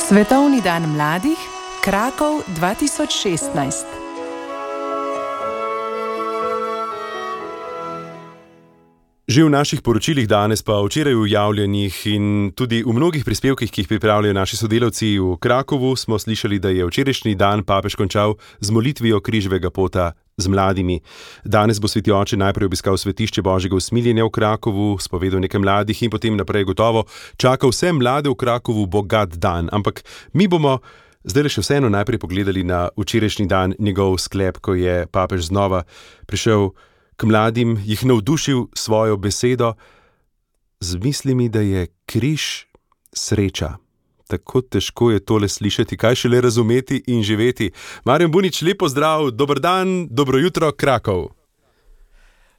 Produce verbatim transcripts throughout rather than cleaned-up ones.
Svetovni dan mladih, Krakov dva tisoč šestnajst. Že v naših poročilih danes, pa včeraj v javljanjih in tudi v mnogih prispevkih, ki jih pripravljajo naši sodelavci v Krakovu, smo slišali, da je včerajšnji dan papež končal z molitvijo križevega pota z mladimi. Danes bo sveti oče najprej obiskal svetišče Božjega usmiljenja v Krakovu, spovedal nekaj mladih in potem naprej gotovo čaka vse mlade v Krakovu bogat dan. Ampak mi bomo zdaj le še vseeno najprej pogledali na včerajšnji dan, njegov sklep, ko je papež znova prišel k mladim, jih navdušil svojo besedo z mislimi, da je križ sreča. Tako težko je tole slišati, kaj šele razumeti in živeti. Marjan Bunič, lep pozdrav, dober dan, dobro jutro, Krakov.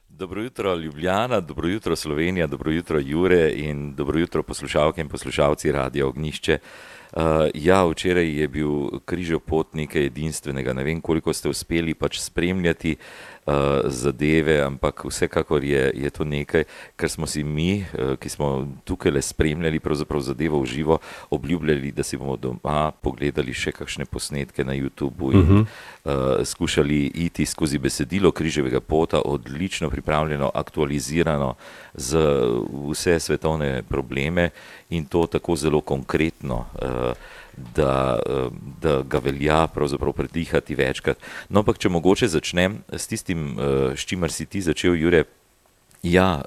Dobro jutro, Ljubljana, dobro jutro, Slovenija, dobro jutro, Jure in dobro jutro, poslušalke in poslušalci Radia Ognjišče. Uh, ja, včeraj je bil križev pot nekaj edinstvenega. Ne vem, koliko ste uspeli pač spremljati uh, zadeve, ampak vsekakor je, je to nekaj, kar smo si mi, uh, ki smo tukaj le spremljali pravzaprav zadevo v živo, obljubljali, da si bomo doma pogledali še kakšne posnetke na YouTubu in uh-huh. uh, skušali iti skozi besedilo križevega pota, odlično pripravljeno, aktualizirano z vse svetovne probleme in to tako zelo konkretno, da, da ga velja pravzaprav predihati večkrat. No, ampak če mogoče začnem s tistim, s čimer si ti začel, Jure. Ja,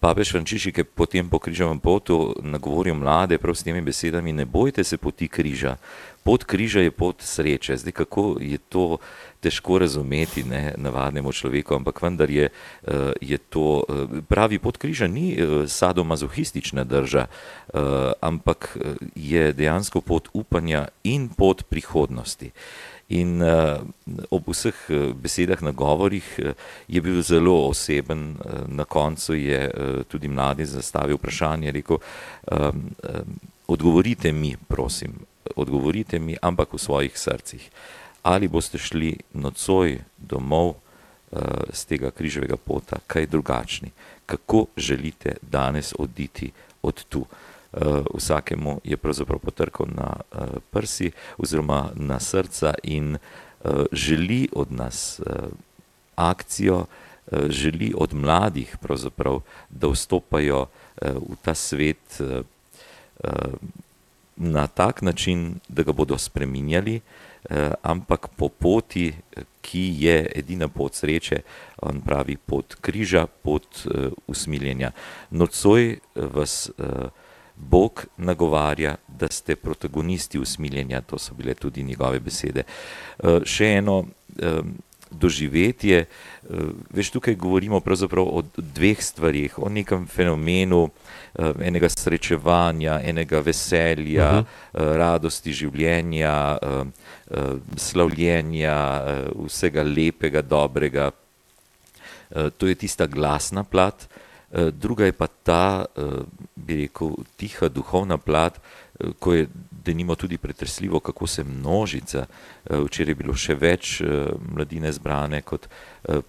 papež Frančišek je potem po križevem potu nagovoril mlade prav s temi besedami: ne bojte se poti križa. Pot križa je pot sreče. Zdaj, kako je to težko razumeti, ne, navadnemu človeku, ampak vendar je, je to, pravi, pot križa ni sadomazohistična drža, ampak je dejansko pot upanja in pot prihodnosti. In uh, ob vseh besedah, nagovorih uh, je bil zelo oseben. Uh, na koncu je uh, tudi mladi zastavil vprašanje, rekel: um, um, odgovorite mi, prosim, odgovorite mi, ampak v svojih srcih. Ali boste šli nocoj domov uh, z tega križevega pota, kaj drugačni? Kako želite danes oditi od tu? Uh, vsakemu je pravzaprav potrkal na uh, prsi oziroma na srca in uh, želi od nas uh, akcijo, uh, želi od mladih pravzaprav, da vstopajo uh, v ta svet uh, uh, na tak način, da ga bodo spreminjali, uh, ampak po poti, ki je edina pot sreče, on pravi pot križa, pot uh, usmiljenja. Nocoj vas uh, Bog nagovarja, da ste protagonisti usmiljenja, to so bile tudi njegove besede. Uh, še eno um, doživetje, uh, veš, tukaj govorimo pravzaprav o dveh stvarih, o nekem fenomenu uh, enega srečevanja, enega veselja, uh-huh. uh, radosti življenja, uh, uh, slavljenja, uh, vsega lepega, dobrega. Uh, to je tista glasna plat. Druga je pa ta, bi rekel, tiha duhovna plat, ko je denimo tudi pretresljivo, kako se množica, včeraj je bilo še več mladine zbrane kot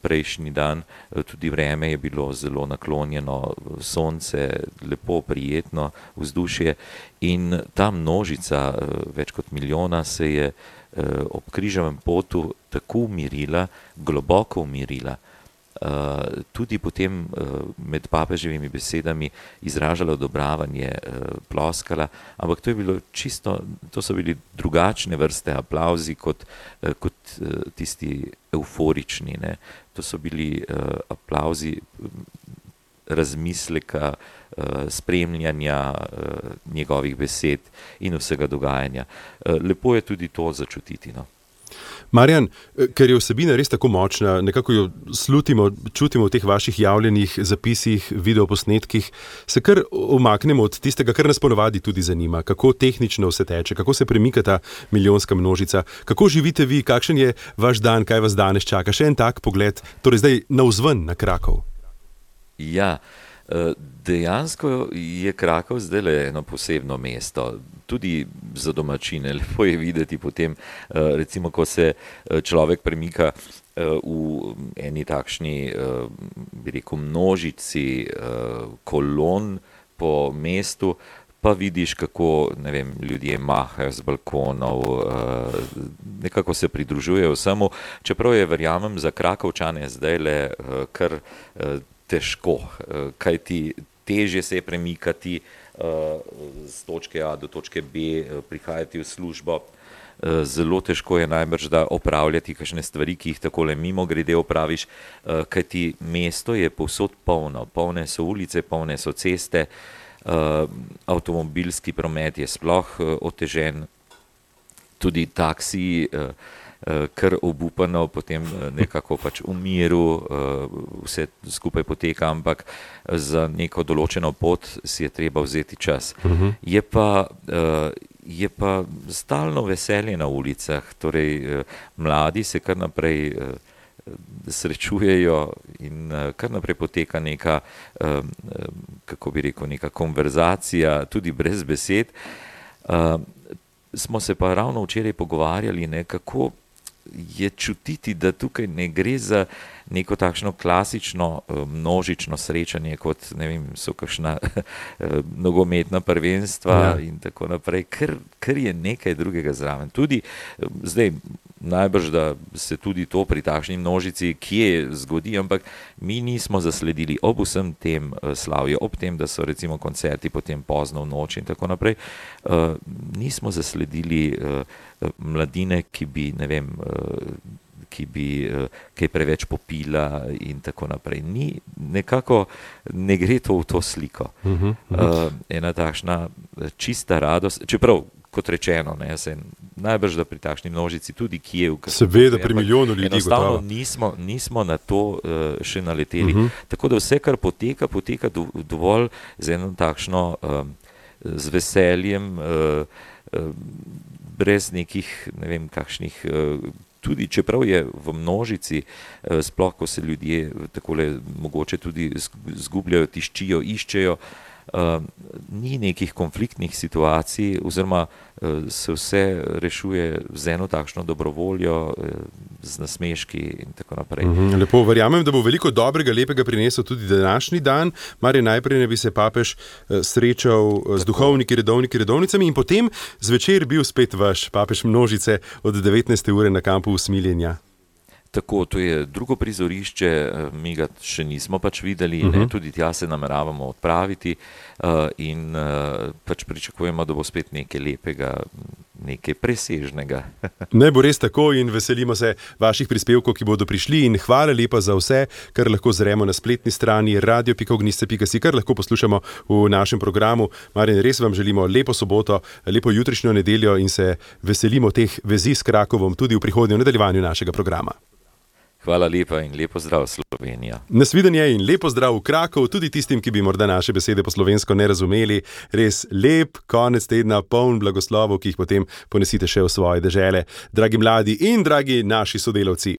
prejšnji dan, tudi vreme je bilo zelo naklonjeno, sonce, lepo, prijetno vzdušje in ta množica, več kot milijona, se je ob križevem potu tako umirila, globoko umirila, Uh, tudi potem uh, med papeževimi besedami izražala odobravanje, uh, ploskala, ampak to je bilo čisto, to so bili drugačne vrste aplavzi kot, uh, kot uh, tisti euforični, ne. To so bili uh, aplavzi razmisleka, uh, spremljanja uh, njegovih besed in vsega dogajanja. Uh, lepo je tudi to začutiti, no. Marjan, ker je vsebina res tako močna, nekako jo slutimo, čutimo v teh vaših javljenih zapisih, videoposnetkih, se kar umaknemo od tistega, kar nas ponavadi tudi zanima, kako tehnično vse teče, kako se premika ta milijonska množica, kako živite vi, kakšen je vaš dan, kaj vas danes čaka, še en tak pogled, torej zdaj navzven na Krakov. Ja, dejansko je Krakov zdaj le eno posebno mesto, tudi za domačine. Lepo je videti potem, recimo, ko se človek premika v eni takšni, bi rekel, množici kolon po mestu, pa vidiš, kako, ne vem, ljudje mahajo z balkonov, nekako se pridružujejo vsemu, čeprav je, verjamem, za Krakovčane zdaj le kar težko, kaj ti težje se je premikati z točke A do točke B, prihajati v službo. Zelo težko je najbrž, da opravljati kakšne stvari, ki jih takole mimo grede opraviš, kajti mesto je povsod polno, polne so ulice, polne so ceste, avtomobilski promet je sploh otežen, tudi taksiji, kar obupano, potem nekako pač v miru vse skupaj poteka, ampak za neko določeno pot si je treba vzeti čas. Uh-huh. Je pa, je pa stalno veselje na ulicah, torej mladi se kar naprej srečujejo in kar naprej poteka neka, kako bi rekel, neka konverzacija, tudi brez besed. Smo se pa ravno včeraj pogovarjali, ne, kako je čutiti, da tukaj ne gre za neko takšno klasično množično srečanje, kot, ne vem, so kakšna nogometna prvenstva ja. In tako naprej, ker, ker je nekaj drugega zraven. Tudi, zdaj, najbrž, da se tudi to pri takšni množici kje zgodi, ampak mi nismo zasledili ob vsem tem slavju, ob tem, da so recimo koncerti potem pozno v noč in tako naprej, uh, nismo zasledili uh, mladine, ki bi, ne vem, uh, ki bi kaj preveč popila in tako naprej. Ni, nekako ne gre to v to sliko. Uh-huh, uh-huh. Uh, ena takšna čista radost, čeprav, kot rečeno, ne, se najbrž, da pri takšni množici tudi Kijev, seveda pri milijonu ljudi, enostavno nismo, nismo na to uh, še naleteli. Uh-huh. Tako da vse, kar poteka, poteka do, dovolj z eno takšno uh, z veseljem, uh, uh, brez nekih, ne vem, kakšnih uh, tudi čeprav je v množici, sploh ko se ljudje takole mogoče tudi zgubljajo, tiščijo, iščejo, ni nekih konfliktnih situacij, oziroma se vse rešuje z eno takšno dobrovoljo, z nasmeški in tako naprej. Lepo, verjamem, da bo veliko dobrega, lepega prinesel tudi današnji dan. Marjan, najprej ne bi se papež srečal z duhovniki, redovniki, redovnicami in potem zvečer bil spet vaš papež množice od devetnajste ure na kampu Usmiljenja. Tako, to je drugo prizorišče, mi ga še nismo pač videli, uh-huh. ne, tudi tja se nameravamo odpraviti uh, in uh, pač pričakujemo, da bo spet nekaj lepega, nekaj presežnega. Ne bo res tako in veselimo se vaših prispevkov, ki bodo prišli in hvala lepa za vse, kar lahko zremo na spletni strani radio pika ognjišče pika si, kar lahko poslušamo v našem programu. Marjan, res vam želimo lepo soboto, lepo jutrišnjo nedeljo in se veselimo teh vezi s Krakovom tudi v prihodnjem nadaljevanju našega programa. Hvala lepa in lepo zdrav, Slovenija. Nasvidenje in lepo zdrav v Krakov, tudi tistim, ki bi morda naše besede po slovensko ne razumeli. Res lep konec tedna, poln blagoslovov, ki jih potem ponesite še v svoje dežele. Dragi mladi in dragi naši sodelavci.